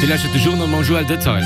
Dir lauschtert de Journal mam Joël Detail.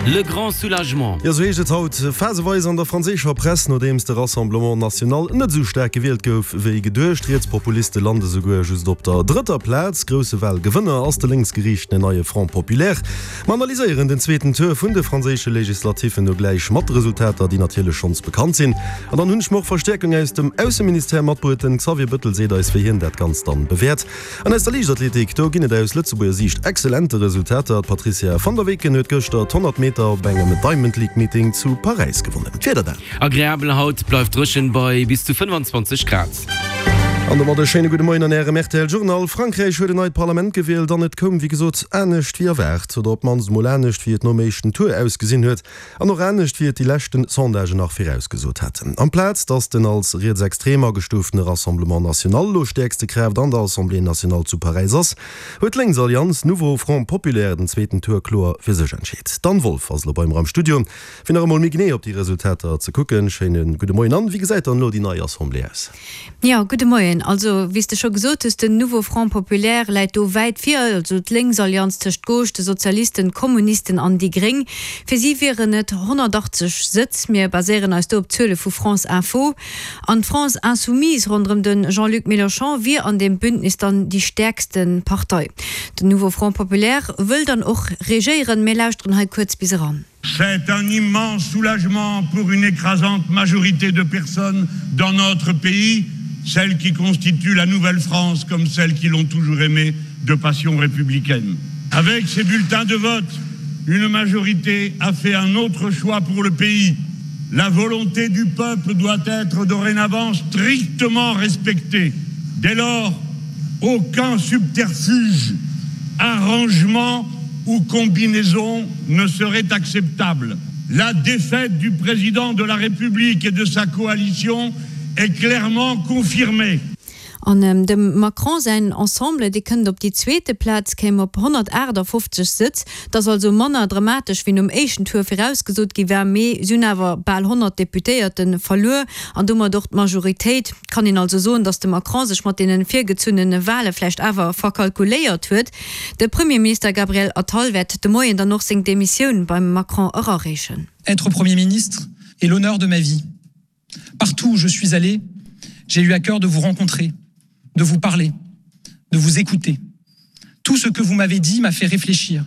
Le grand soulagement. Jo, sou heescht et haut phaseweis an der franséischer Press, nodeems de Rassemblement National net esou staark gewielt gouf wéi geduecht. D'Rietspopuliste lande souguer just op der drëtter Plaz. Grousse Walgewënner ass de lénksgeriichtene neie Front Populaire. Mer analyséieren den zweeten Tour vun de franséische Legislatiffen no gläich mat de Resultater, déi natierlech schonns bekannt sinn. An dann hunn ech mer och Verstäerkung aus dem Ausseministère matbruet. Den Xavier Bëttel seet eis, wéi hien dat Ganzt dann bewäert. An aus der Liichtathletik, do ginn et aus Lëtzebuerger Siicht exzellente Resultater. D'Patrizia van der Weken huet gëschter d'100 Meter op engem Diamond League Meeting zu Paräis gewonnen. D'Wieder dann. Agreabel haut, bleift dréchen bei bis zu 25 Grad. An domat e schéine gudde Moien an Ärem rtl Journal. Frankräich huet en neit Parlament gewielt an et koum wéi gesot anescht wéi erwaart, oder op d'mannst emol anescht wéi et nom éischten Tour ausgesinn huet. An och anescht wéi et déi leschten Sondagen nach virausgesot haten. Amplaz datt den als rietsextrem agestuuftene Rassemblement National elo stäerkste Kraaft an der Assemblée nationale zu Paräis ass, huet d'Lénksallianz Nouveau Front Populaire den zweeten Tour kloer fir sech entscheet. D'Anne Wolff ass elo bei mer am Studio, fir nach emol méi genee op déi Resultater ze kucken. Schéine gudde Moien Anne, wéi gesäit dann elo déi nei Assemblée aus? Jo, gudde Moien. Also, wéi s de scho gesot hues, den Nouveau Front Populaire läit do wäit vir, also d'Lénksallianz tëscht Gauche, de Sozialisten, Kommunisten an déi Gréng. Fir si wieren et 180 Sëtz. Mir baséieren eis do op d'Zuele vu France Info. An d'France Insoumise ronderëm de Jean-Luc Mélenchon wier an deem Bündnis dann déi stäerkste Partei. Den Nouveau Front Populaire wëll dann och regéieren. Mir lauschteren hei kuerz bis eran. C'est un immense soulagement pour une écrasante majorité de personnes dans notre pays, celles qui constituent la nouvelle France comme celles qui l'ont toujours aimée de passion républicaine. Avec ces bulletins de vote, une majorité a fait un autre choix pour le pays. La volonté du peuple doit être dorénavant strictement respectée. Dès lors, aucun subterfuge, arrangement ou combinaison ne serait acceptable. La défaite du président de la République et de sa coalition est clairement confirmée. An dem Macron säin Ensemble, dee kënnt op déi zweete Plaz, kéim op 158 Sëtz. Et ass also manner dramatesch, wéi nom éischten Tour virausgesot gi war, mee si hunn awer bal 100 Deputéierte verluer an domat och d'Majoritéit. Et kann een also soen, datt de Macron sech mat deene virgezunnene Wale vläicht awer verkalkuléiert huet. De Premierminister Gabriel Attal wäert de Moien dann och seng Demissioun beim Macron erareechen. Être Premier ministre est l'honneur de ma vie. Partout où je suis allé, j'ai eu à cœur de vous rencontrer, de vous parler, de vous écouter. Tout ce que vous m'avez dit m'a fait réfléchir.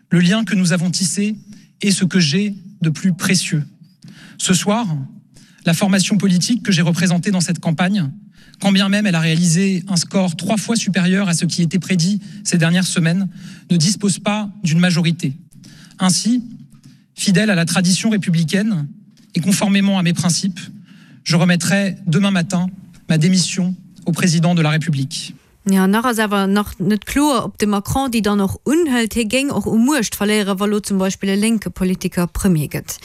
Le lien que nous avons tissé est ce que j'ai de plus précieux. Ce soir, la formation politique que j'ai représentée dans cette campagne, quand bien même elle a réalisé un score trois fois supérieur à ce qui était prédit ces dernières semaines, ne dispose pas d'une majorité. Ainsi, fidèle à la tradition républicaine et conformément à mes principes, je remettrai demain matin ma démission au président de la République. Jo, nach ass awer nach net kloer, ob de Macron déi dann och unhëlt. Hie géing och u Muecht verléieren, wa lo zum Beispill e lénke Politiker Premier gëtt.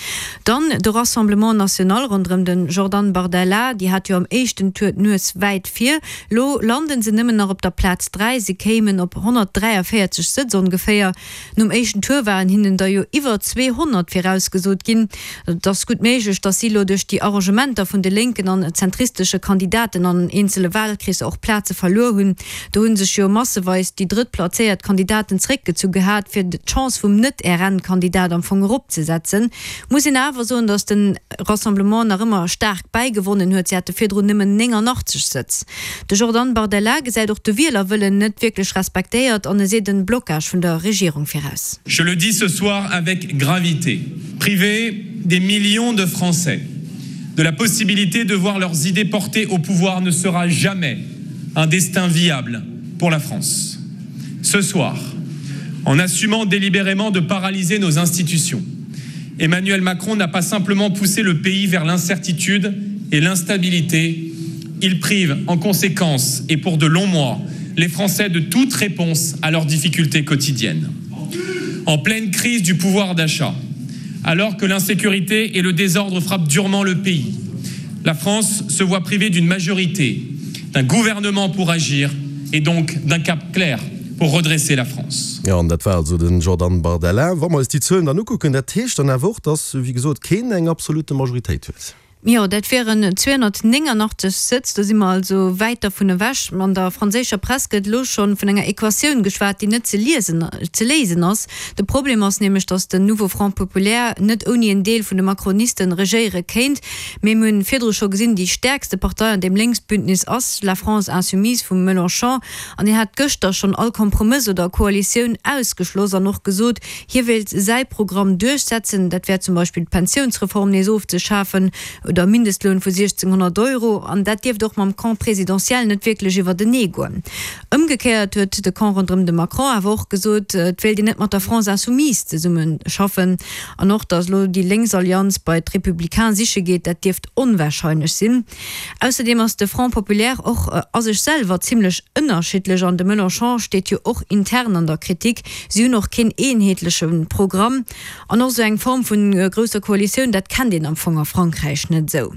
Dann de Rassemblement National ronderëm de Jordan Bardella, déi hat jo am éischten Tour d'Nues wäit vir. Lo landen se nëmmen nach op der Plaz 3, se kéimen op 143 Sëtz ongeféier. Nom éischten Tour waren hinnen der jo iwwer 200 virausgesot ginn. Et ass gutt méiglech, datt si elo duerch déi Arrangementer vun de lénken an zentristesche Kandidaten an eenzele Wahlkreesser och Plaze verluer hunn. Do hu sech jo masseweis déi drëttplazéiert Kandidaten zeréckgezu gehat, fir d'Chance vum Net-RN-Kandidat am Fong eropzesetzen. Muss een awer soen, datt de Rassemblement nach ëmmer staark bäigewonnen huet, si hate virdrun nëmmen 89 Sëtz. De Jordan Bardella gesäit och de Wielerwëllen net wierklech respektéiert an e seet en Blocage vun der Regierung viraus. Je le dis ce soir avec gravité, priver des millions de Français de la possibilité de voir leurs idées portées au pouvoir ne sera jamais un destin viable pour la France. Ce soir, en assumant délibérément de paralyser nos institutions, Emmanuel Macron n'a pas simplement poussé le pays vers l'incertitude et l'instabilité, il prive en conséquence et pour de longs mois les Français de toute réponse à leurs difficultés quotidiennes. En pleine crise du pouvoir d'achat, alors que l'insécurité et le désordre frappent durement le pays, la France se voit privée d'une majorité, d'un gouvernement pour agir et donc d'un cap clair pour redresser la France. Jo, an dat war also den Jordan Bardella. Wa mer eis déi Zuelen dann ukucken, dat heescht dann awer och, dass, wéi gesot, keen eng absolute Majoritéit huet. Jo, dat wieren 289 Sëtz, do si mer also wäit dervun ewech. An der franséischer Press gëtt elo scho vun enger Equatioun geschwat, déi net ze liesen, ze léisen ass. De Problem ass nämlech, datt den Nouveau Front Populaire net ouni en Deel vun de Macronisten regéiere kéint. Mee mir hunn virdru scho gesinn, déi stäerkste Partei an deem Lénksbündnis ass La France Insoumise vum Melenchon. An deen hat gëschter schonn all Kompromëss oder Koalitioun ausgeschloss an och gesot, Hie wéilt säi Programm duerchsetzen, dat wär zum Beispill d'Pensiounsreform nees ofzeschafen oder e Mindestloun vu 1.600 Euro. An dat dierft och mam Camp présidentiel net wierklech iwwertenee goen. Ëmgekéiert huet de Camp ronderëm de Macron awer och gesot, et wéilt een net mat der France Insoumise zesumme schaffen. An och, datt elo déi lénks Allianz bei d'Républicains siche geet, dat dierft onwarscheinlech sinn. Ausserdeem ass de Front Populaire och a sech selwer zimmlech ënnerschiddlech an de Melenchon steet jo och intern an der Kritik. Si hunn och keen eenheetleche Programm an och esou eng Form vu grousser Koalitioun, dat kennt een am Fong a Frankräich net esou.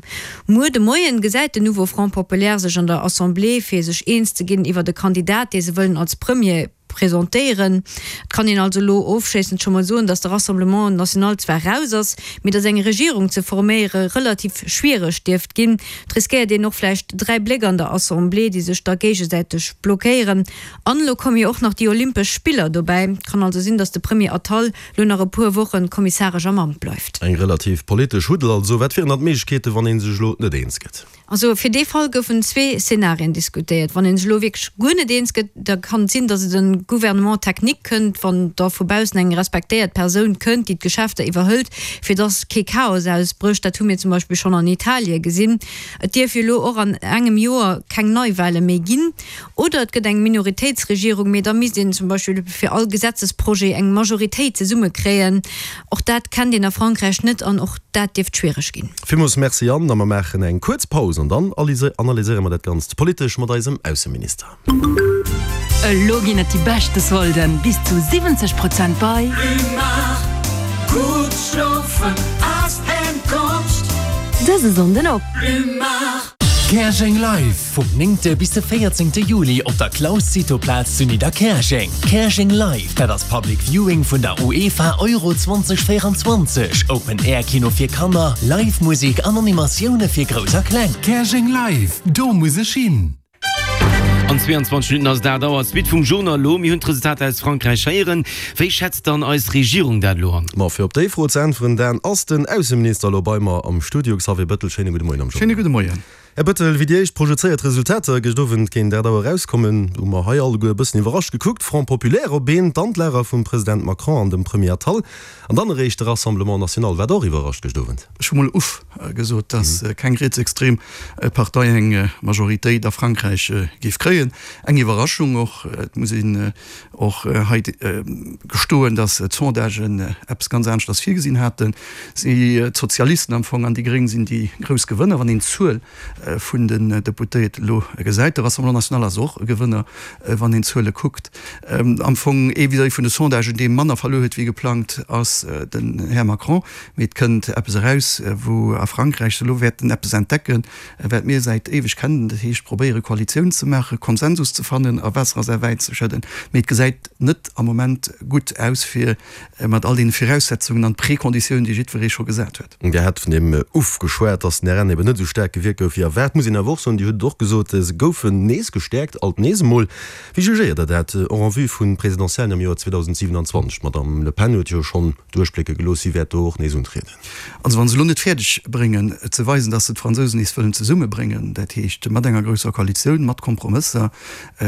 Muer de Moien gesäit den Nouveau Front Populaire sech an der Assemblée fir sech eens ze ginn iwwert e Kandidat, dee se wëllen als Premier presentéieren. Et kann een also elo ofschléissend scho mol soen, datt de Rassemblement National zwar raus ass, mee datt eng Regierung ze forméiere relativ schwiereg dierft ginn. Et riskéiert een och vläicht 3 Bléck an der Assemblée, déi sech da géigesäiteg blockéieren. An elo komme jo och nach déi Olympesch Spiller dobäi. Et kann also sinn, datt de Premier Attal elo nach e puer Woche kommissaresch am Amt bleift. Eng relativ politesch Huddel also. Wat wieren dann d'Méiglechkeeten, wann ee sech elo net eens gëtt? Also fir dee Fall goufen zwee Szenarien diskutéiert. Wann ee sech elo wierklech guer net eens gëtt, da kann et sinn, datt et e Gouvernement technique kënnt, wann da vu baussen eng respektéiert Persoun kënnt, déi d'Geschäfter iwwerhëlt, fir datt kee Chaos ausbrécht. Dat hu mir zum Beispill schonn an Italie gesinn. Et dierf jo elo och an engem Joer keng Neiwahle méi ginn. Oder et gëtt eng Minoritéitsregierung, mee da misst een zum Beispill fir all Gesetzesprojet eng Majoritéit zesummekréien. Och dat kennt een a Frankräich net an och dat dierft schwiereg ginn. Villmools Merci Anne, a mer maachen eng kuerz Paus an dann analyséiere mer dat Ganzt politesch mat eisem Ausseminister. Elo ginn et déi beschte Solden, bis zu 70 Prozent bei. Plumard, Gutt schlofen ass eng Konscht. Dëse Sonnden op. Plumard. Käerjeng Live! Vum 9. bis de 14. Juli op der Claus Cito Plaz zu Nidderkäerjeng. Käerjeng Live, dat ass Public Viewing vun der UEFA Euro 2024, Open Air Kino fir Kanner, Live Musek an Animatioune fir Grouss a Kleng. Käerjeng Live, do muss ech hin! An 22 Minutten ass et 8 Auer. D'Suite vum Journal elo. Mir hunn d'Resultater aus Frankräich héieren. Wéi schätzt dann eis Regierung dat elo an? Ma fir op déi Fro ze äntweren, Dan, ass den Ausseminister elo bei mer am Studio. Xavier Bettel, schéine gudde Moien am Journal. Schéine gudde Moien. Här Bettel, wéi déi éischt projezéiert Resultater gëscht Owend géint 8 Auer erauskommen, hu mer hei alleguer e bëssen iwwerrascht gekuckt. Front Populaire op een, d'Andlager vum President Macron an dem Premier Attal, an dann eréischt de Rassemblement National. Waart Der och iwwerrascht gëscht Owend? Ech hu mol uff gesot, datt keng rietsextrem Partei eng Majoritéit a Frankräich géif kréien. Eng Iwwerraschung och. Et muss een och hei gestoen, datt d'Sondagen eppes ganz aneschters virgesinn haten. Si, d'Sozialisten am Fong an déi Gréng sinn déi grouss Gewënner, wann een d'Zuel vun den Deputéierten elo gesäit. De Rassemblement National ass och e Gewënner, wann een d'Zuele kuckt. Am Fong ee vis-à-vis vun de Sondagen, dee manner verluer huet wéi geplangt, ass den Här Macron. Mee et kënnt eppes eraus, wou a Frankräich se elo wäerten eppes entdecken, Wat mir säit éiweg kennen, dat heescht probéiere Koalitioun ze maachen, Konsensus ze fannen a Waasser a säi Wäin ze schëdden. Mee et gesäit net am Moment gutt aus fir mat all deene Viraussetzungen an Prekonditiounen, déi jiddweree scho gesat huet. Dir hat vun deem Uff geschwat, datt den RN eben net esou staark gewierkt gouf wéi erwaart. Muss een awer och soen, Dir hutt et och gesot, se goufen nees gestäerkt, alt nees emol. Wéi jugéiert Der dat och en vue vun Presidentiellen am Joer 2027? D'Madame Le Pen huet jo schonn duerchblécke gelooss, si wäert do och nees untrieden. Also wa se elo net fäerdeg bréngen ze weisen, datt se d'Fransousen nees wëllen zesummebréngen, dat heescht mat enger grousser Koalitioun, mat Kompromësser,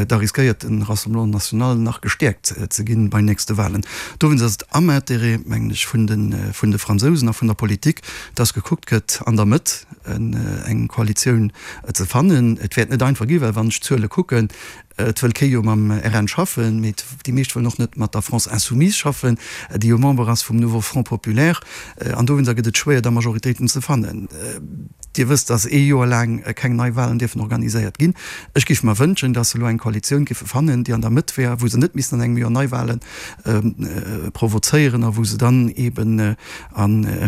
da riskéiert de Rassemblement National nach gestäerkt ze ginn bei nächste Wahlen. Dowéinst ass et am Intérêt, mengen ech, vun de Fransousen a vun der Politik, datt gekuckt gëtt an der Mëtt eng Koalitioun ze fannen. Et wäert net einfach ginn, well wann ech d'Zuele kucken, Et wëll kee jo mam RN schaffen, mee déi meescht wëllen och net mat der France Insoumise schaffen, déi jo Member ass vum Nouveau Front Populaire. An dowéinster gëtt et schwéier, da Majoritéiten ze fannen. Dir wësst, datt ee Joer laang keng nei Wahlen dierfen organiséiert ginn. Ech géif mer wënschen, datt se elo eng Koalitioun géife fannen, déi an der Mëtt wär, wou se net missten an engem Joer Neiwahlen provozéieren a wou se dann eeben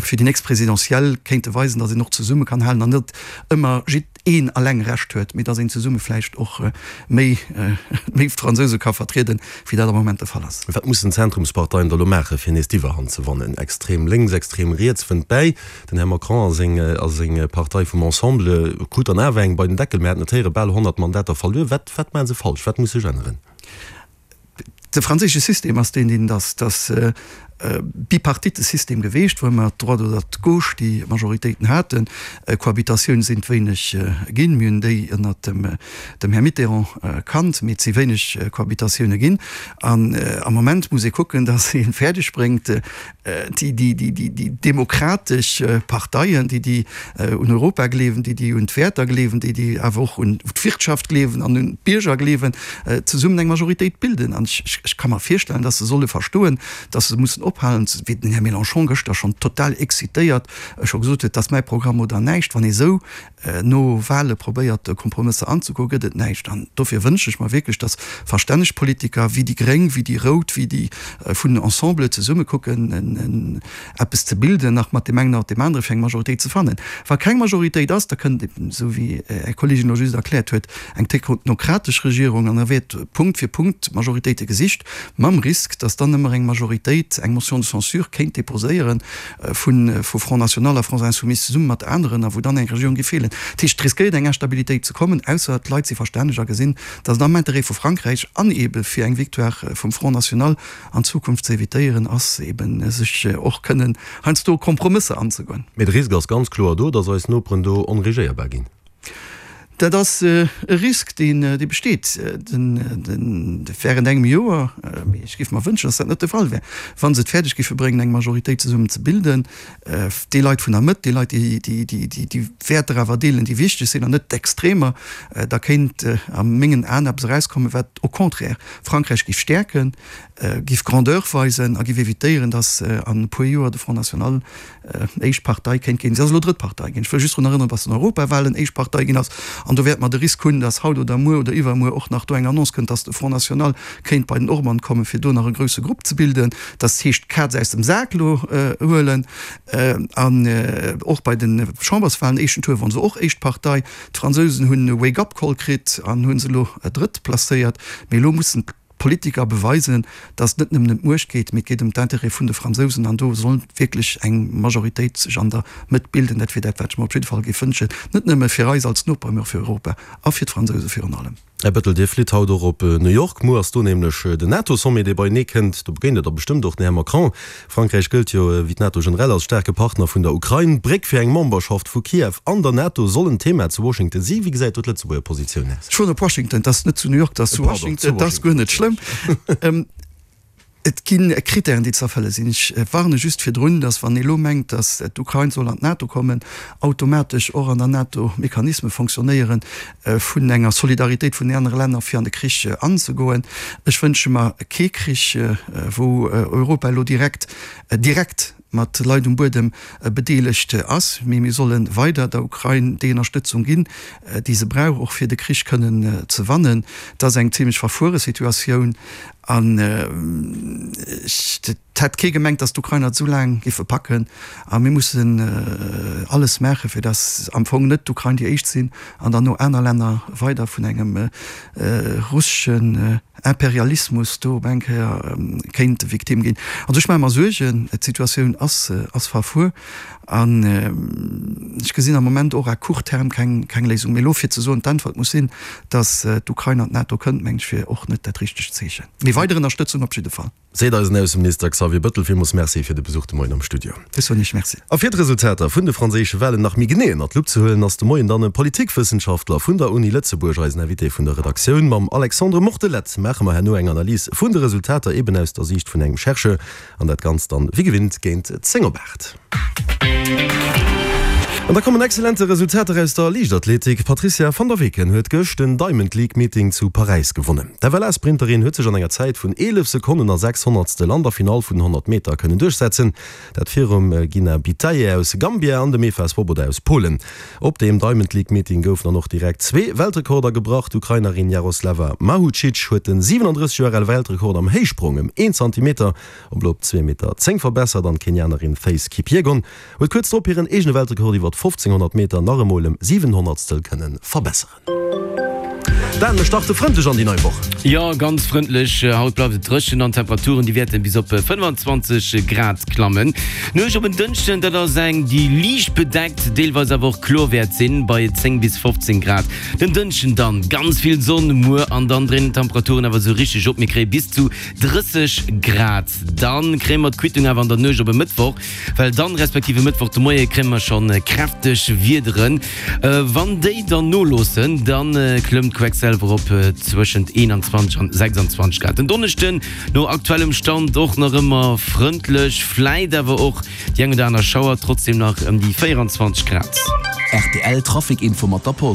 fir déi nächst Présidentielle kéinte weisen, datt een och zesumme kann halen an net ëmmer jidd. een alleng Recht huet, mee dass een zesumme vläicht och méi méi Fransouse ka vertrieden, wéi dat am Moment de Fall ass. Wat mussen d'Zentrumsparteien da lo maachen, fir nees d'Iwwerhand ze wannen? Extrem lénks, extrem riets wënnt bäi. Den Här Macron a seng a seng Partei vum Ensemble krut dann awer eng bei den Deckel. Mir haten et héieren, bal 100 Mandater verluer. Wat wat maache se falsch? Wat muss sech änneren? De franséische System ass deen, deen et ass. Et ass e bipartite System geweecht, wou ëmmer d'Droite oder d'Gauche déi Majoritéiten haten. Cohabitatioun sinn et wéineg ginn. Mir hunn déi ënnert dem dem Här Mitterrand kannt, mee et si wéineg Cohabitatioune ginn. An am Moment muss ee kucken, datt ee fäerdeg bréngt, déi demokratesch Parteien, déi déi un Europa gleewen, déi déi un d'Wäerter gleewen, déi déi awer och un d'Wirtschaft gleewen an un d'Bierger gleewen, zesummen eng Majoritéit bilden. An ech ka mer virstellen, datt se solle verstoen, datt se mussen ophalen, wéi den Här Mélenchon gëschter schonn total excitéiert scho gesot huet, dat ass mäi Programm oder näischt. Wann ee sou no Wahle probéiert Kompromësser anzegoen, gëtt et näischt. An dofir wënschen ech mer wierklech, datt verstänneg Politiker wéi déi Gréng, wéi déi Rout, wéi déi vun Ensemble zesumme kucken eppes ze bilden, nach mat deem engen oder deem anere fir eng Majoritéit ze fannen. Wa keng Majoritéit ass, da kënnt eben, esou wéi Är Kolleegin elo just erkläert huet, eng technokratesch Regierung an da wäert Punkt fir Punkt Majoritéite gesicht, mam Risk, datt dann ëmmer eng Majoritéit eng Motion de censure kéint déposéieren, vu Front National a France Insoumise zesumme mat aneren, a wou dann eng Regierung géif feelen. Dat heescht, et riskéiert eng Instabilitéit ze kommen, ausser d'Leit si verstänneg a gesinn, datt et am Interêt vu Frankräich an eebe fir eng Victoire vum Front National an Zukunft ze evitéieren ass, eebe sech och kënnen heiansdo Kompromësser anzegoen. Mee de Risk ass ganz kloer do, datt eis Noperen do onregéierbar ginn. Dat ass e Risk, deen besteet während engem Joer, mee ech géif mer wënschen, datt dat net de Fall wär, wa se et fäerdeg géife bréngen, eng Majoritéit zesummen ze bilden, déi Leit vun der Mëtt, déi Leit, déi déi Wäerter awer deelen, déi wichteg sinn, an net d'Extremer, da kéint a mengen Aen eppes erauskommen, wat au contraire Frankräich géif stäerken, géif Grandeur weisen a géif evitéieren, datt an e puer Joer de Front National éischt Partei kéint ginn. Si ass elo drëtt Partei ginn. Ech wëll just drun erënneren, dass den Europawahlen éischt Partei ginn ass. An do wäerte mer de Risk hunn, dass haut oder muer oder iwwermuer och nach do eng Annonce kënnt, dass de Front National kéint bei den Orban kommen, fir do nach e grouse Grupp ze bilden. Dat heescht, d'Kaz aus dem Sak elo huelen. An och bei de Chamberswahlen, éischten Tour, wor se och éischt Partei. D'Fransousen hunn e Wake-up-Call kritt an hu se elo drëtt placéiert. Mee elo mussen D'Politiker beweisen, datt et net nëmmen ëm d'Muecht geet, mee et geet ëm d'Intérêt vun de Fransousen an do soll wierklech eng Majoritéit sech an der Mëtt bilden. Dat wier dat, wat ech mer op jidde Fall géif wënschen, net nëmme fir eis als Noper, mee och fir Europa a fir d'Fransouse virun allem. Här Bettel, Dir flitt haut och op New York. Muer ass do nämlech den NATO-Sommet, dee beienee kënnt. Do begéint Der da bestëmmt och den Här Macron. Frankräich gëllt jo, wéi d'NATO generell, als staarke Partner vun der Ukrain. D'Bréck fir eng Memberschaft vu Kiew an der NATO soll en Thema zu Washington sinn. Wéi gesäit do d'Lëtzebuerger Positioun aus? Ech fueren op Washington, et ass net zu New York, et ass zu Washington. Et ass guer net schlëmm. Et gi Krittären, déi ze erfëlle sinn. Ech warne just virdrun, datt, wann ee lo mengt, datt d'Ukrain soll an d'NATO kommen, automatesch och an der NATO Mechanisme fonctionnéieren, vun enger Solidaritéit vun den anere Länner fir an de Krich anzegoen. Ech wënsche mer kee Krich, wou Europa elo direkt, direkt mat Leit um Buedem bedeelegt ass, mee mir solle weider der Ukrain déi Ënnerstëtzung ginn, déi se brauch, och fir de Krich kënnen ze wannen. Et ass eng zimlech verfuere Situatioun an ech. Et hätt kee gemengt, datt d'Ukrainer et esou laang géife packen. A mir mussen alles maachen, fir datt am Fong net d'Ukrain déi éischt sinn an dann no aner Länner weider vun engem russeschen Imperialismus do op eng Kéier kéinte Victime ginn. Also ech maache mer Suergen. D'Situatioun ass verfuer an ech gesinn am Moment och à court terme keng Léisung. Mee elo fir ze soen, d'Äntwert muss sinn, datt d'Ukrain an d'NATO kënnt, mengen ech, wier och net dat richtegt Zeechen. Mee weider Ënnerstëtzung op jidde Fall. Seet eisen Ausseminister Xavier Bëttel. Villmools Merci fir de Besuch de Moien am Studio. Ech soen Iech Merci. A fir d'Resultater vun de franséische Walen nach méi genee ënnert d'Lupp ze huelen, ass de Moien dann e Politikwëssenschaftler vun der Uni Lëtzebuerg eisen Invité vun der Redaktioun. Mam Alexandre Mortelette maache mer herno eng Analys vun de Resultater, eben aus der Siicht vun engem Chercheur. An dat Ganzt dann wéi gewinnt géint 10 op 8. An da kommen exzellente Resultater aus der Liichtathletik. D'Patrizia van der Weken huet gëscht den Diamond League Meeting zu Paräis gewonnen. D'FLA-Sprinterin huet sech an enger Zäit vun 11 Sekonnen a 6 Honnertstel an der Finall vun den 100 Meter kënnen duerchsetzen. Dat virum Gina Bitaye aus Gambia an dem Eva Swoboda aus Polen. Op deem Diamond League Meeting goufen dann och direkt zwee Weltrekorder gebrach. D'Ukrainerin Jaroslava Mahucic huet den 37 Joer ale Weltrekord am Héichsprong ëm een Zantimeter op elo op 2 Meter 10 verbessert an d'Kenianerin Faith Kipyegon huet kuerz drop hiren eegene Weltrekord iwwer 1500 Meter nach emol ëm 7 Honnertstel kënne verbesseren. Dan, mir starte frëndlech an déi nei Woch. Jo, ganz frëndlech. Haut bleift et dréchen an d'Temperaturen, déi wäerten bis op 25 Grad klammen. D'Nuecht op en Dënschden, dat ass eng, déi liicht bedeckt, deelweis awer och kloer wäert sinn, bei 10 bis 15 Grad. Den Dënschden dann ganz vill Sonn, muer an dann dréinen d'Temperaturen awer esou richteg op, mir kréie bis zu 30 Grad. Dann kréie mer d'Quittung awer an der Nuecht op e Mëttwoch. Well dann, respektiv e Mëttwoch de Moie kréie mer schonn kräfteg Wiederen. Wann déi dann noloossen, da klëmmt d'Queckselwer op zwëschent 21 an 26 Grad. Den Donneschden no aktuellem Stand och nach ëmmer frëndlech, vläit awer och déi eng oder aner Schauer, trotzdem nach ëm déi 24 Grad. Rtl Trafic Info mat der Post.